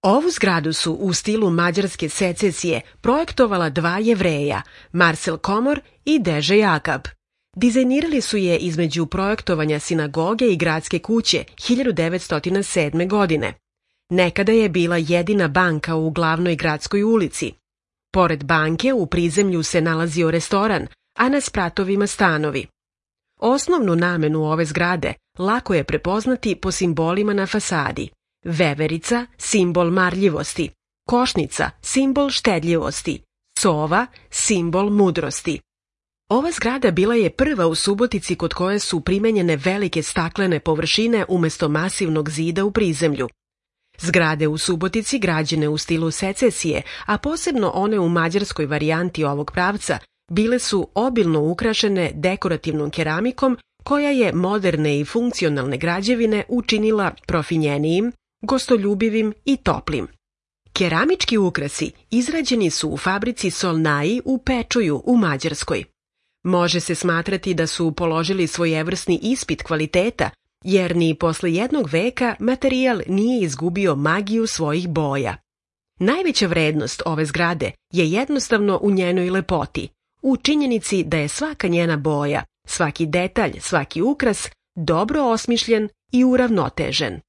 Ovu zgradu su u stilu mađarske secesije projektovala dva Jevreja, Marcel Komor i Deže Jakab. Dizajnirali su je između projektovanja sinagoge i gradske kuće 1907. godine. Nekada je bila jedina banka u glavnoj gradskoj ulici. Pored banke u prizemlju se nalazio restoran, a na spratovima stanovi. Osnovnu namenu ove zgrade lako je prepoznati po simbolima na fasadi. Veverica, simbol marljivosti, košnica, simbol štedljivosti, sova, simbol mudrosti. Ova zgrada bila je prva u Subotici kod koje su primenjene velike staklene površine umjesto masivnog zida u prizemlju. Zgrade u Subotici građene u stilu secesije, a posebno one u mađarskoj varijanti ovog pravca, bile su obilno ukrašene dekorativnom keramikom koja je moderne i funkcionalne građevine učinila profinjenijim, gostoljubivim i toplim. Keramički ukrasi izrađeni su u fabrici Solnai u Pečuju u Mađarskoj. Može se smatrati da su položili svojevrsni ispit kvaliteta, jer ni posle jednog veka materijal nije izgubio magiju svojih boja. Najveća vrednost ove zgrade je jednostavno u njenoj lepoti, u činjenici da je svaka njena boja, svaki detalj, svaki ukras dobro osmišljen i uravnotežen.